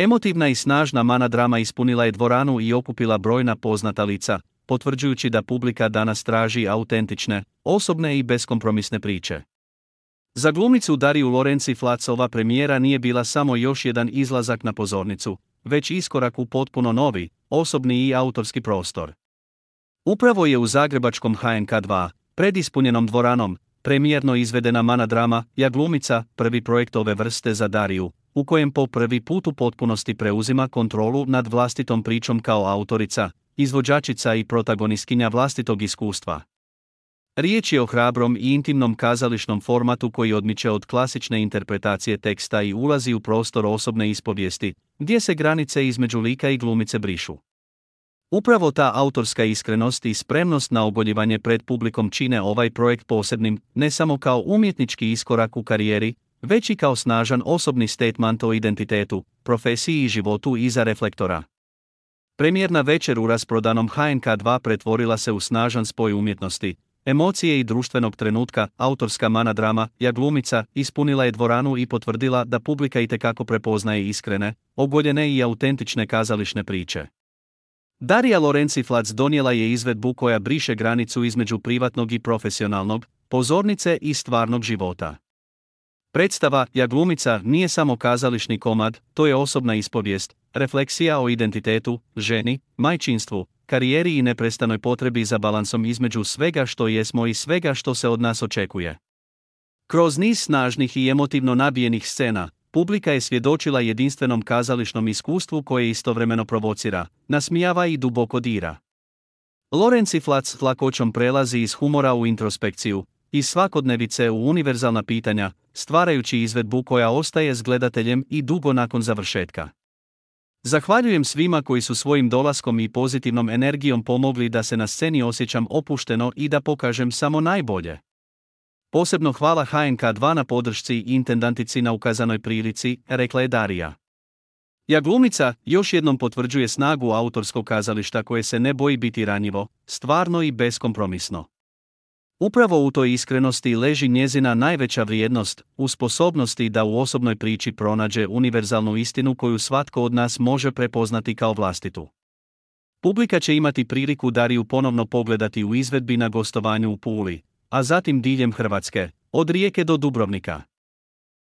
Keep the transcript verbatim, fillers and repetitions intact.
Emotivna i snažna mana drama ispunila je dvoranu i okupila brojna poznata lica, potvrđujući da publika danas traži autentične, osobne i beskompromisne priče. Za glumicu Dariju Lorenzi Flac ova premijera nije bila samo još jedan izlazak na pozornicu, već iskorak u potpuno novi, osobni i autorski prostor. Upravo je u zagrebačkom H N K dva, pred ispunjenom dvoranom, premijerno izvedena mana drama Ja glumica, prvi projekt ove vrste za Dariju, u kojem po prvi put u potpunosti preuzima kontrolu nad vlastitom pričom kao autorica, izvođačica i protagonistkinja vlastitog iskustva. Riječ je o hrabrom i intimnom kazališnom formatu koji odmiče od klasične interpretacije teksta i ulazi u prostor osobne ispovijesti, gdje se granice između lika i glumice brišu. Upravo ta autorska iskrenost i spremnost na ogoljivanje pred publikom čine ovaj projekt posebnim, ne samo kao umjetnički iskorak u karijeri, već i kao snažan osobni statement o identitetu, profesiji i životu iza reflektora. Premijerna večer u rasprodanom H N K dva pretvorila se u snažan spoj umjetnosti, emocije i društvenog trenutka. Autorska mana drama Ja glumica ispunila je dvoranu i potvrdila da publika itekako prepoznaje iskrene, ogoljene i autentične kazališne priče. Darija Lorenzi Flac donijela je izvedbu koja briše granicu između privatnog i profesionalnog, pozornice i stvarnog života. Predstava Ja glumica nije samo kazališni komad, to je osobna ispovijest, refleksija o identitetu, ženi, majčinstvu, karijeri i neprestanoj potrebi za balansom između svega što jesmo i svega što se od nas očekuje. Kroz niz snažnih i emotivno nabijenih scena, publika je svjedočila jedinstvenom kazališnom iskustvu koje istovremeno provocira, nasmijava i duboko dira. Lorenzi Flac s lakoćom prelazi iz humora u introspekciju, iz svakodnevice u univerzalna pitanja, stvarajući izvedbu koja ostaje s gledateljem i dugo nakon završetka. Zahvaljujem svima koji su svojim dolaskom i pozitivnom energijom pomogli da se na sceni osjećam opušteno i da pokažem samo najbolje. Posebno hvala H N K dva na podršci i intendantici na ukazanoj prilici, rekla je Darija. Ja glumica još jednom potvrđuje snagu autorskog kazališta koje se ne boji biti ranjivo, stvarno i beskompromisno. Upravo u toj iskrenosti leži njezina najveća vrijednost, u sposobnosti da u osobnoj priči pronađe univerzalnu istinu koju svatko od nas može prepoznati kao vlastitu. Publika će imati priliku Dariju ponovno pogledati u izvedbi na gostovanju u Puli, a zatim diljem Hrvatske, od Rijeke do Dubrovnika.